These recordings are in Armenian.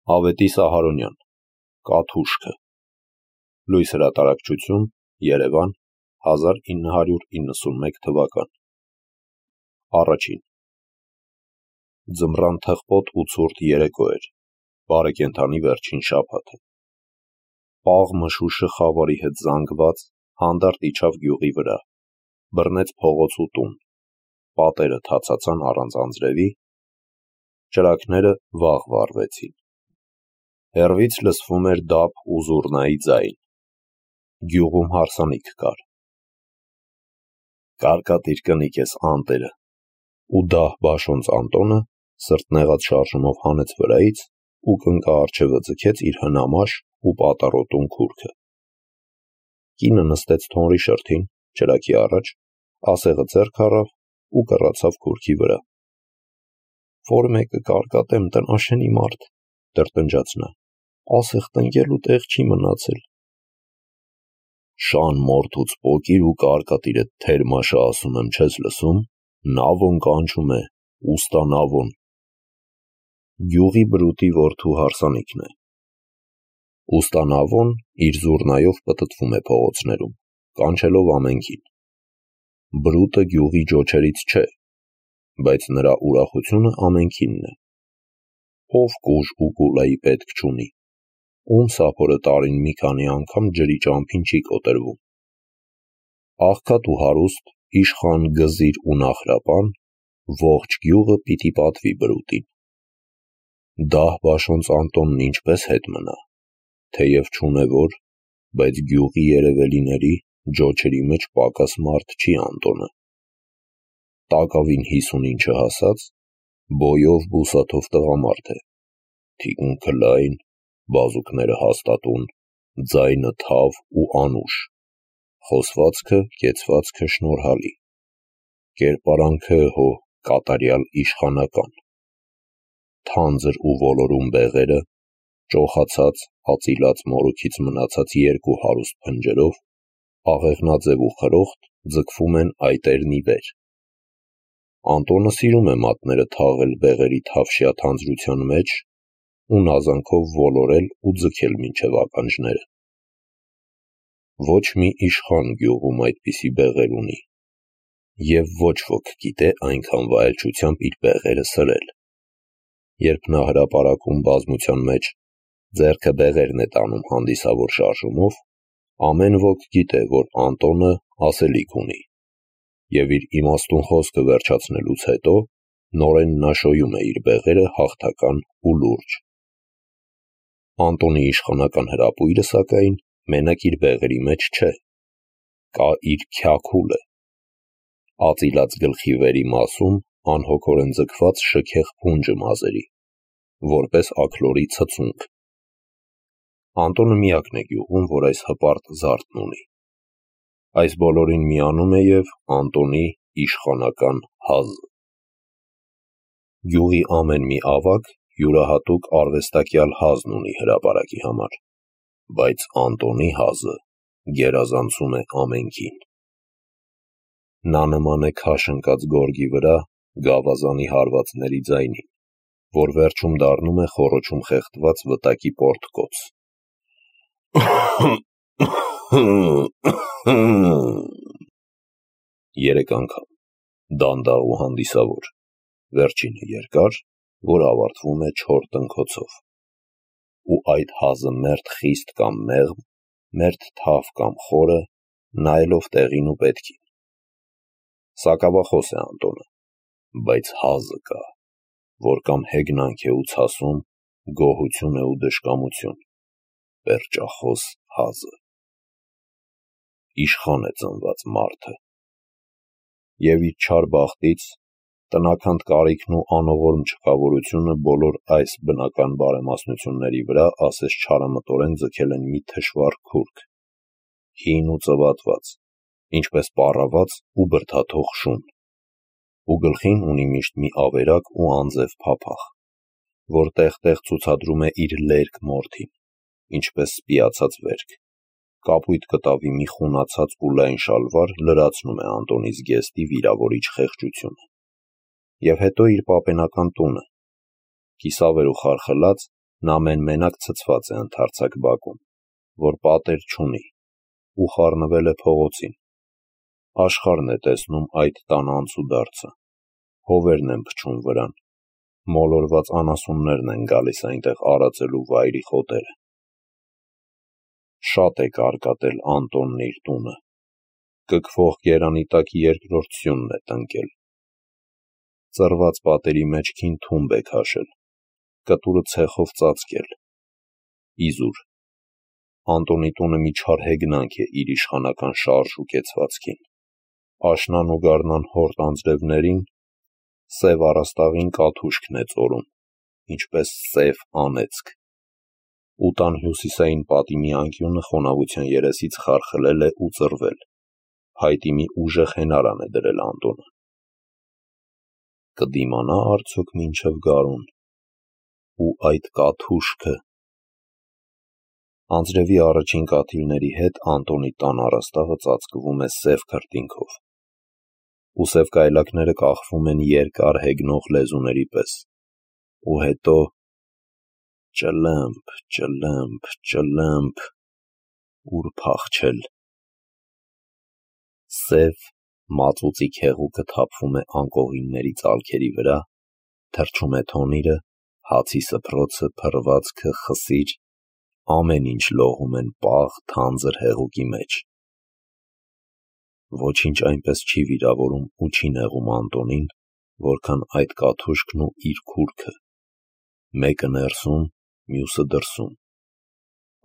Ավետիս Ահարոնյան, Կաթուշքը, Լույս հրատարակչություն, Երևան, 1991 թվական։ Առաջին։ Ձմռան թխպոտ ու ցուրտ երեկո էր, բարեկենդանի վերջին շաբաթը։ Պաղ մշուշը խավարի հետ զանգված, հանդարտ իջավ գյուղի վրա, բռնեց փողոց ու տուն, պատերը թացացան առանց անձրևի, ճրագները վաղ վառվեցին։ Հեռվից լսվում էր դափ ու զուռնայի ձայն։ Գյուղում հարսանիք կար։ Կարկատիր կնիկ ես անտերը, ու դահ բաշոնց Անտոնը սրտնեղած շարժումով հանեց վրայից ու կնկա առջևը ձգեց իր հնամաշ ու պատառոտուն քուրքը։ Կինը նստեց թոնրի շրթին, ճրագի առաջ, ասեղը ձեռք առավ ու կռացավ քուրքի վրա։ Որ մեկը կարկատեմ տնաշենի մարդ, տրտնջաց նա, ասեղ տնկելու տեղ չի մնացել։ Շան մորթուց պոկիր ու կարկատիրը թերմաշը ասում եմ չես լսում, նավոն կանչում է, ուստա նավոն։ Գյուղի բրուտի որդու հարսանիքն է։ Ուստա նավոն իր զուռնայով պտտվում է փողոցներում, կանչելով ամենքին։ Բրուտը գյուղի ջոչերից չէ, բայց նրա ուրախությունը ամենքինն է։ Ով կուժ ու կուլայի պետք չունի, ում սափորը տարին մի քանի անգամ ջրի ճամփին չի կոտրվում։ Աղքատ ու հարուստ, իշխան, գզիր ու նախրապան, ողջ գյուղը պիտի պատվի բրուտին։ Դահ բաշոնց Անտոնն ինչպես հետ մնա, թեև չունե որ, բայց գյուղի երևելիների, ջոչերի մեջ պակաս մարդ չի Անտոնը։ Տակավին 50-ին չհասած, բոյով բուսաթով տղամարդ է, թիկունքը լայն, բազուկները հաստատուն, ձայնը թավ ու անուշ, խոսվածքը, կեցվածքը շնորհալի, կերպարանքը կատարյալ իշխանական, թանձր ու ոլորուն բեղերը, ճոխացած, ածիլած մորուքից մնացած երկու հարուստ փնջերով, աղեղնաձև ու խրոխտ ձգվում են այտերն ի վեր։ Անտոնը սիրում է մատները թաղել բեղերի թավշյա թանձրության մեջ ու նազանքով ոլորել ու ձգել մինչև ականջները։ Ոչ մի իշխան գյուղում այդպիսի բեղեր ունի, և ոչ ոք գիտե այնքան վայելչությամբ իր բեղերը սրել։ Երբ նա հրապարակում բազմության մեջ ձեռքը բեղերն է տանում հանդիսավոր շարժումով, ամեն ոք գիտե, որ Անտոնը ասելիք ունի, և իր իմաստուն խոսքը վերջացնելուց հետո նորեն նա շոյում է իր բեղերը հաղթական ու լուրջ։ Անտոնի իշխանական հրապույրը, սակայն, մենակ իր բեղերի մեջ չէ, կա իր քյաքուլը, ածիլած գլխի վերի մասում անհոգորեն ձգված շքեղ փունջը մազերի, որպես աքլորի ցցունք։ Անտոնը միակն է գյուղում, որ այս հպարտ զարդն ունի։ Այս բոլորին միանում է և Անտոնի իշխանական հազը։ Գյուղի ամեն մի ավագ յուրահատուկ արվեստակյալ հազն ունի հրապարակի համար, բայց Անտոնի հազը գերազանցում է ամենքին։ Նա նման է քաշ ընկած գորգի վրա գավազանի հարվածների ձայնին, որ վերջում դառնում է խոռոչում խեղդված վտակի պորտկոց։ Երեք անգամ, դանդաղ ու հանդիսավոր, վերջինը երկար, որ ավարտվում է չոր տնքոցով, ու այդ հազը մերթ խիստ կամ մեղմ, մերթ թավ կամ խորը, նայելով տեղին ու պետքին։ Սակավախոս է Անտոնը, բայց հազը կա, որ կամ հեգնանք է ու ցասում, գոհություն է ու դժկամություն, պերճախոս հազը։ Իշխան է ծնված մարդը։ Եվ իր չար բախտից, տնաքանդ կարիքն ու անողորմ չքավորությունը բոլոր այս բնական բարեմասնությունների վրա ասես չարամտորեն ձգել են մի թշվառ քուրք, հին ու ծվատված, ինչպես պառաված ու բրդաթող շուն, ու գլխին ունի միշտ մի ավերակ ու անձև փափախ, որ տեղ-տեղ ցուցադրում է իր լերկ մորթին, ինչպես սպիացած վերք, կապույտ կտավի մի խունացած ու լայն շալվար լրացնում է Անտոնի զգեստի վիրավորիչ խեղճությունը։ Եվ հետո իր պապենական տունը, կիսավեր ու խարխլած, Նա մենակ ցցված է ընդարձակ բակում, որ պատեր չունի, ու խառնվել է փողոցին։ Աշխարհն է տեսնում այդ տան անցուդարձը, հովերն են փչում վրան, մոլորված անասուններն են գալիս այնտեղ արածելու վայրի խոտերը։ Շատ է կարկատել Անտոնն իր տունը, կքվող գերանի տակ երկրորդ սյունն է տնկել։ Ծռված պատերի մեջքին թումբ է քաշել, կտուրը ցեխով ծածկել։ Իզուր։ Անտոնի տունը մի չար հեգնանք է իր իշխանական շարժ ու կեցվածքին։ Աշնան ու գարնան հորտ անձրևներին սև առաստաղին կաթուշքն է ծորում, ինչպես սև անեծք։ Ու տան հյուսիսային պատի մի անկյունը խոնավության երեսից խարխլել է ու ծռվել, փայտի մի ուժեղ հենարան է դրել Անտոնը։ Կդիմանա արդյոք մինչև գարուն։ Ու այդ կաթուշքը։ Անձրևի առաջին կաթիլների հետ Անտոնի տան առաստաղը ծածկվում է սև քրտինքով, ու սև կայլակները կախվում են երկար հեգնող լեզուների պես, ու հետո ճլըմփ, ճլըմփ, ճլըմփ, ուր փախչել։ Սև մածուծիկ հեղուկը թափվում է անկողինների ծալքերի վրա, թրջում է թոնիրը, հացի սփռոցը, փռվածքը, խսիր, ամեն ինչ լողում են պաղ, թանձր հեղուկի մեջ։ Ոչինչ այնպես չի վիրավորում ու չի նեղում Անտոնին, որքան այդ կաթուշքն ու իր քուրքը, մեկը ներսում, մյուսը դրսում։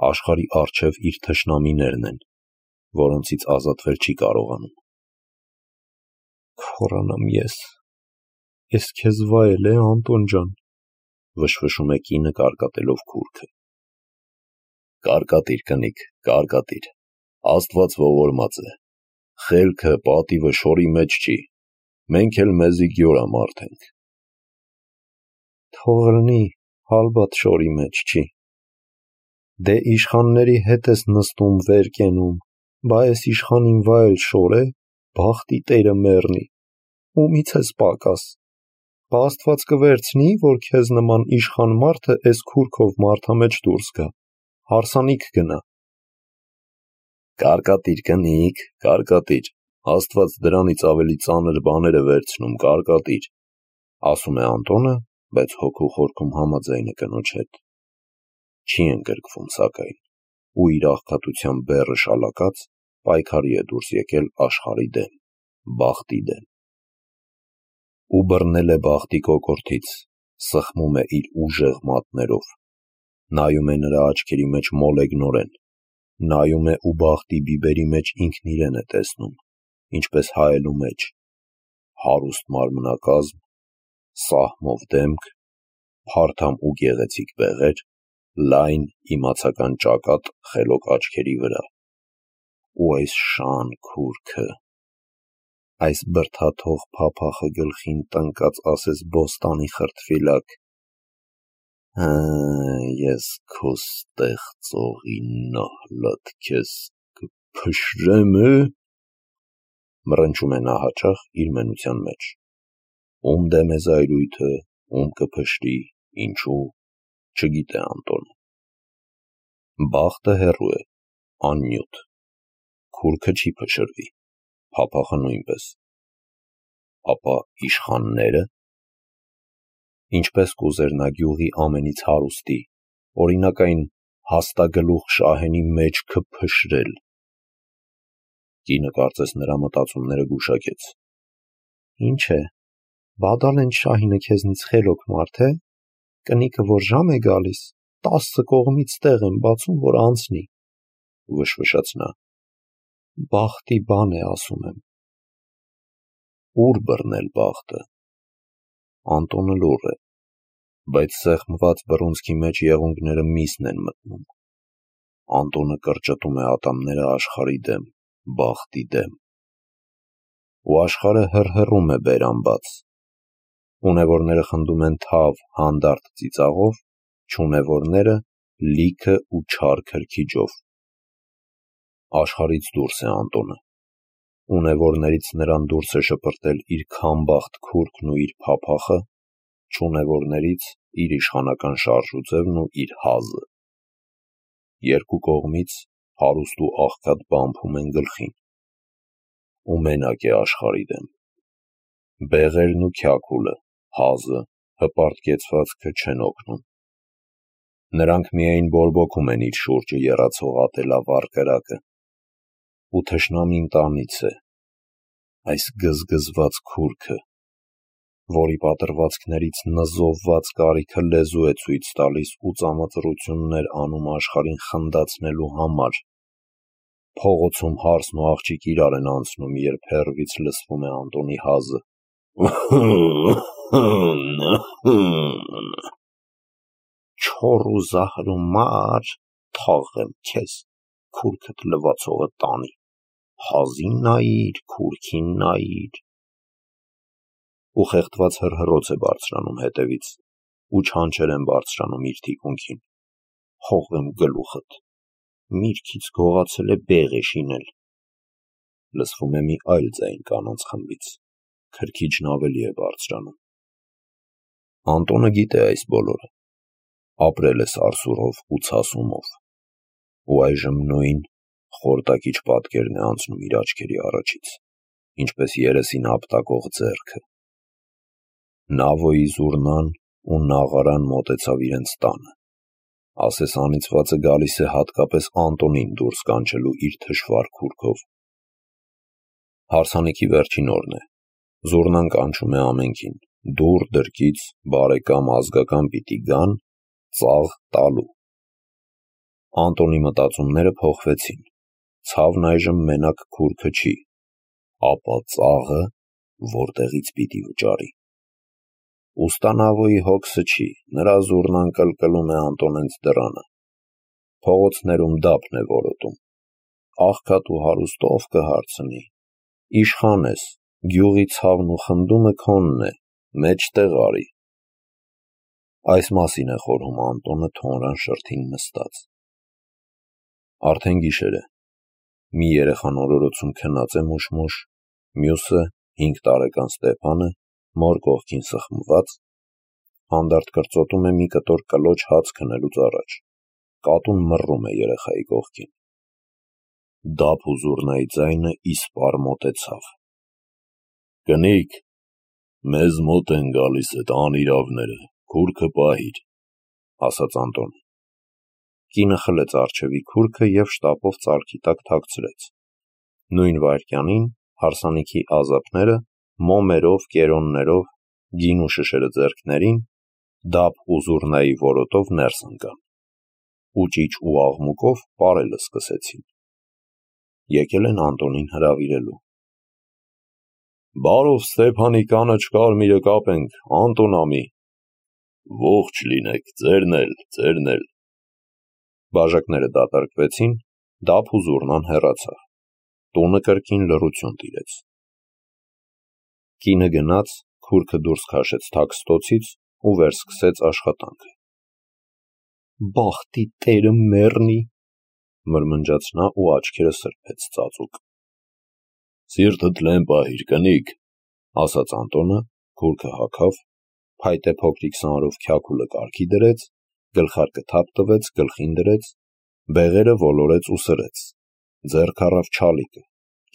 Աշխարհի առջև իր թշնամիներն են, որոնցից ազատվել չի կարողանում։ Քորանամ ես քեզ վայել է, Անտոն ջան, վշվշում է կինը կարկատելով քուրքը։ Կարկատիր, կնիկ, կարկատիր, Աստված ողորմած է, խելքը, պատիվը շորի մեջ չի, մենք էլ մեզի գյորամարդ ենք։ Թող ըլնի, հալբատ շորի մեջ չի։ Դե իշխանների հետ ես նստում վեր կենում, բա ես իշխանին վայել շոր է, բախտի տերը մեռնի, ումից ես պակաս։ Բա Աստված կվերցնի, որ քեզ նման իշխան մարդը էս քուրքով մարդամեջ դուրս գա, հարսանիք գնա։ Կարկատիր, կնիկ, կարկատիր, Աստված դրանից ավելի ծանր բաներ է վերցնում, կարկատիր, ասում է Անտոնը, բայց հոգու խորքում համաձայն է կնոջ հետ։ Չի ընկրկվում սակայն, ու իր աղքատության բեռը շալակած, պայքարի է դուրս եկել աշխարհի դեմ, բախտի դեմ։ Ու բռնել է բախտի կոկորդից, սխմում է իր ուժեղ մատներով, նայում է նրա աչքերի մեջ մոլեգնորեն, նայում է ու բախտի բիբերի մեջ ինքն իրեն է տեսնում, ինչպես հայելու մեջ, հարուստ մարմնակազմ, սահմով դեմք, փարթամ ու գեղեցիկ բեղեր, լայն իմացական ճակատ խելոք աչքերի վրա, ու այս շան քուրքը, այս բրդաթող փափախը գլխին տնկած ասես բոստանի խրտվիլակ, ես քո ստեղծողի նահլատ քեզ կփշրեմ, մռնչում է նա հաճախ իր մենության մեջ։ Ում դեմ է զայրույթը, ում կփշրի, ինչու, չգիտե Անտոնը։ Բախտը հեռու է, աննյութ, քուրքը չի փշրվի, փափախը նույնպես։ Ապա իշխանները։ Ինչպես կուզեր նա գյուղի ամենից հարուստի, օրինակ այն հաստագլուխ շահենի մեջքը փշրել։ Կինը կարծես նրա մտածումները գուշակեց։ Ինչ է, Բադալեն շահինը քեզնից խելոք մարդ է, կնիկը որ ժամ է գալիս, 10 կողմից տեղ եմ բացում, որ անցնի, վշվշաց նա։ Բախտի բան է ասում եմ։ Ուր բռնել բախտը։ Անտոնը լուռ է, բայց սեղմված բռունցքի մեջ եղունգները միսն են մտնում։ Անտոնը կրճտում է ատամները աշխարհի դեմ, բախտի դեմ։ Ու աշխարհը հռհռում է բերանբաց։ Ունևորները խնդում են թավ, հանդարտ ծիծաղով, չունևորները լիքը ու չար քրքիջով։ Աշխարհից դուրս է Անտոնը։ Ունևորներից նրան դուրս է շպրտել իր քամբախտ քուրքն ու իր փափախը, չունևորներից իր իշխանական շարժուձևն ու իր հազը։ Երկու կողմից հարուստ ու աղքատ բամփում են գլխին, ու մենակ է աշխարհի դեմ։ Բեղերն ու քյաքուլը, հազը, հպարտկեցվածքը չեն օգնում։ Նրանք միայն բորբոքում են իր շուրջը եռացող ատելավառ կրակը, ու թշնամին տանից է, այս գզգզված քուրքը, որի պատրվածքներից նզովված կարիքը լեզու է ցույց տալիս ու ծամածռություններ անում աշխարհին խնդացնելու համար։ Փողոցում հարսն ու աղջիկ իրար են անցնում, երբ հեռվից լսվում է Անտոնի հազը։ Չոր ու զահր ու մար, թաղեմ քեզ, քուրքդ լվացողը տանի, հազին նայիր, քուրքին նայիր։ Ու խեղդված հռհռոց է բարձրանում հետևից, ու չանչեր են բարձրանում իր թիկունքին։ Հողեմ գլուխդ, միրգից գողացել է բեղ է շինել։ Լսվում է մի այլ ձայն կանանց խմբից, քրքիջն ավելի է բարձրանում։ Անտոնը գիտե այս բոլորը, ապրել է սարսուռով ու ցասումով, ու այժմ նույն խորտակիչ պատկերն է անցնում իր աչքերի առաջից, ինչպես երեսին ապտակող ձեռքը։ Նավոյի զուռնան ու նաղարան մոտեցավ իրենց տանը։ Ասես անիծվածը գալիս է հատկապես Անտոնին դուրս կանչելու իր թշվառ քուրքով։ Հարսանիքի վերջին օրն է։ Զուռնան կանչում է ամենքին, դուռ դրկից, բարեկամ, ազգական պիտի գան, ծաղ տալու։ Անտոնի մտածումները փոխվեցին։ Ցավն այժմ մենակ քուրքը չի, ապա ծաղը որտեղից պիտի վճարի։ Ուստա Նավոյի հոգսը չի, նրա զուռնան կլկլում է Անտոնենց դռանը։ Փողոցներում դափն է որոտում։ Աղքատ ու հարուստ ով կհարցնի։ Իշխան ես, գյուղի ցավն ու խնդումը քոնն է, մեջտեղ արի։ Այս մասին է խորհում Անտոնը թոնրան շրթին նստած։ Արդեն գիշեր է։ Մի երեխան օրորոցում քնած է մուշ-մուշ, մյուսը, 5 տարեկան Ստեփանը, մոր կողքին սխմված, հանդարտ կրծոտում է մի կտոր կլոչ հաց քնելուց առաջ։ Կատուն մռռում է երեխայի կողքին։ Դափ ու զուռնայի ձայնը իսպառ մոտեցավ։ Կնիկ, մեզ մոտ են գալիս էդ անիրավները, քուրքը պահիր, ասաց Անտոնը։ Կինը խլեց առջևի քուրքը և շտապով ծալքի տակ թաքցրեց։ Նույն վայրկյանին հարսանիքի ազապները մոմերով, կերոններով, գին ու շշերը ձեռքներին, դափ ու զուռնայի որոտով ներս ընկան, ու ճիչ ու աղմուկով պարելը սկսեցին։ Եկել են Անտոնին հրավիրելու։ Բարով Ստեփանի կանաչ կարմիրը կապենք, Անտոն ամի։ Ողջ լինեք, ձերն էլ։ Բաժակները դատարկվեցին, դափ ու զուռնան հեռացավ։ Տունը կրկին լռություն տիրեց։ Կինը գնաց, քուրքը դուրս քաշեց թաքստոցից ու վերսկսեց աշխատանքը։ Բախտի տերը մեռնի, մրմնջաց նա ու աչքերը սրբեց ծածուկ։ Սիրտդ լեն պահիր, կնիկ, ասաց Անտոնը, քուրքը հագավ, փայտե փոքրիկ սանրով քյաքուլը կարգի դրեց, գլխարկը թափ տվեց, գլխին դրեց, բեղերը ոլորեց ու սրեց, ձեռք առավ չալիկը,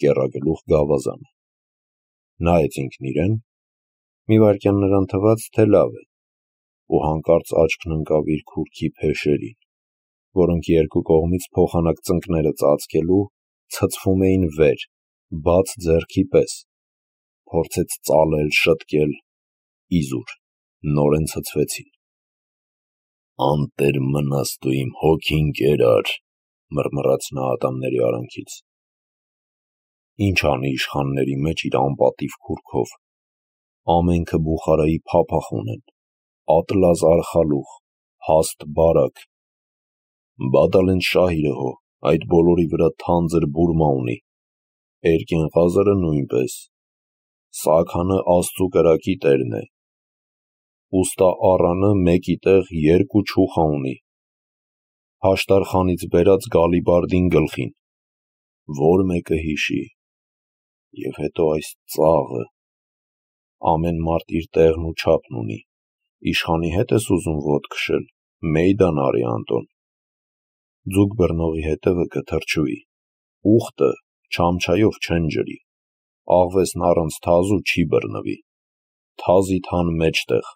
կեռագլուխ գավազանը։ Նայեց ինքն իրեն, մի վայրկյան նրան թվաց, թե լավ է, ու հանկարծ աչքն ընկավ իր քուրքի փեշերին, որոնք երկու կողմից փոխանակ ծնկները ծածկելու ցցվում էին վեր, բաց ձեռքի պես, փորձեց ծալել, շտկել, իզուր, նորեն ցցվեցին։ Անտեր մնաս դու իմ հոգին կերար, մռմռաց նա ատամների արանքից։ Ինչ անի իշխանների մեջ իր անպատիվ քուրքով։ Ամենքը Բուխարայի փափախ ունեն, ատլազ արխալուղ, հաստ բարակ։ Բադալեն շահիրը հո, այդ բոլորի վրա թանձր բուրմա ունի, Էրկեն Ղազարը նույնպես, Սաքանը Աստծու կրակի տերն է, ուստա Առանը մեկի տեղ 2 չուխա ունի, Հաշտարխանից բերած Գալիբարդին գլխին, որ մեկը հիշի, և հետո այս ծաղը, ամեն մարդ իր տեղն ու չափն ունի, Իշխանի հետ ես ուզում ոտք քշել, մեյդան արի Անտոն։ Ձուկ բռնողի հետևը կթրջուի, ուխտը չամչայով չեն ջրի, աղվեսն առանց թազու չի բռնվի, թազի թան մեջտեղ։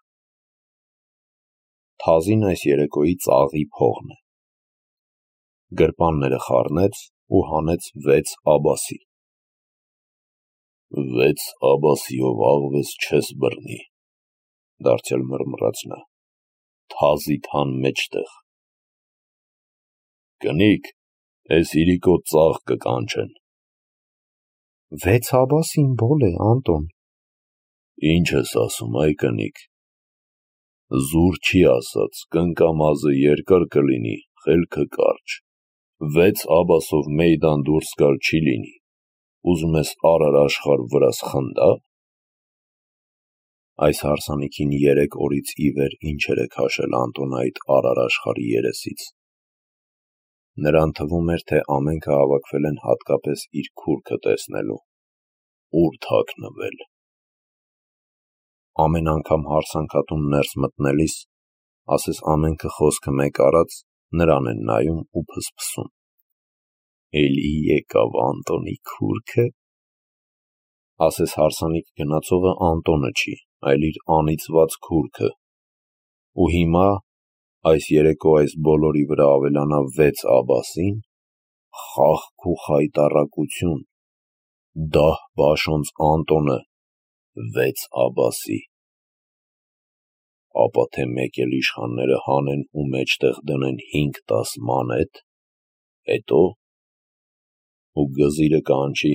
Թազին այս երեկոյի ծաղի փողն է։ Գրպանները խառնեց ու հանեց 6 աբասի։ 6 աբասիով աղվես չես բռնի, դարձյալ մռմռաց նա, թազի թան մեջտեղ։ Կնիկ, էս իրիկո ծաղ կկանչեն։ 6 աբասին բոլ է, Անտոն։ Ինչ ես ասում, այ կնիկ։ Զուր չի ասած, կնկամազը երկար կլինի, խելքը կարճ։ 6 աբասով մեյդան դուրս գալ չի լինի, ուզում ես արար աշխար վրաս խնդա։ Այս հարսանիքին 3 օրից ի վեր ինչեր է քաշել Անտոնը այդ արար աշխարհի երեսից։ Նրան թվում էր, թե ամենքը հավաքվել են հատկապես իր քուրքը տեսնելու, ուր թաքնվել։ Ամեն անգամ հարսանքատուն ներս մտնելիս, ասես ամենքը խոսքը մեկ արած, նրան են նայում ու փսփսում։ Էլի եկավ Անտոնի քուրքը։ Ասես հարսանիք գնացողը Անտոնը չի, այլ իր անիծված քուրքը։ Ու հիմա, այս երեկո այս բոլորի վրա ավելանա 6 աբասին, խաղք ու խայտառակություն, դահ բաշոնց Անտոնը 6 աբասի։ Ապա թե մեկ էլ իշխանները հանեն ու մեջտեղ դնեն 5-10 մանեթ, հետո ու գզիրը կանչի,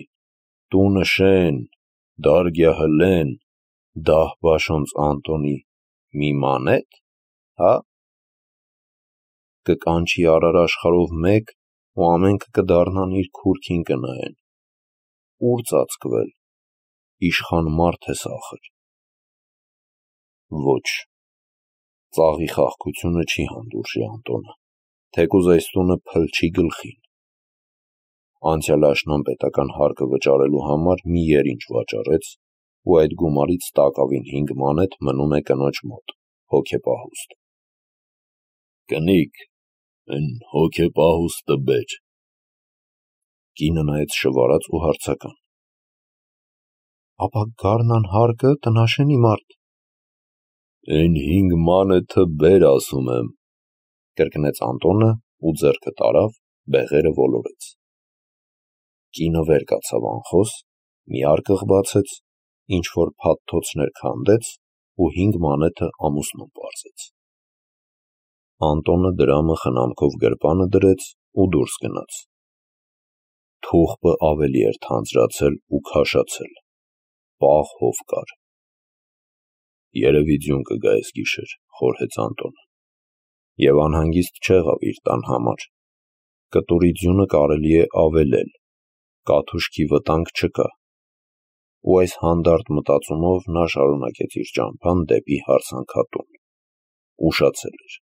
տունը շեն, դարգյա հլեն, դահ բաշոնց Անտոնի մի մանեթ, հա։ Կկանչի արար աշխարհով մեկ ու ամենքը կդառնան իր քուրքին կնայեն։ Ուր ծածկվել, իշխան մարդ ես ախր։ Ոչ, ծաղի խաղքությունը չի հանդուրժի Անտոնը, թեկուզ այս տունը փլչի գլխին։ Անցյալ աշնան պետական հարկը վճարելու համար մի երինչ վաճառեց ու այդ գումարից տակավին 5 մանեթ մնում է կնոջ մոտ, հոգեպահուստ։ Կնիկ, են հոգեպահուստը բեր։ Կինը նայեց շվարած ու հարցական։ Ապա գարնան հարկը տնաշենի մարդ։ Են 5 մանեթը բեր ասում եմ, կրկնեց Անտոնը ու ձեռքը տարավ, բեղերը ոլորեց։ Կինը վեր կացավ անխոս, մի արկղ բացեց, ինչ-որ փաթթոցներ քանդեց ու 5 մանեթը ամուսնուն պարզեց։ Անտոնը դրամը խնամքով գրպանը դրեց ու դուրս գնաց։ Թուղբը ավելի էր թանձրացել ու քաշացել, պաղ հով կար։ Երևի ձյուն կգա այս գիշեր, խորհեց Անտոնը, և անհանգիստ չեղավ իր տան համար։ Կտուրի ձյունը կարելի է ավելել, կաթուշքի վտանգ չկա։ Ու այս հանդարտ մտածումով նա շարունակեց իր ճամփան դեպի հարսանքատուն։ Ուշացել էր։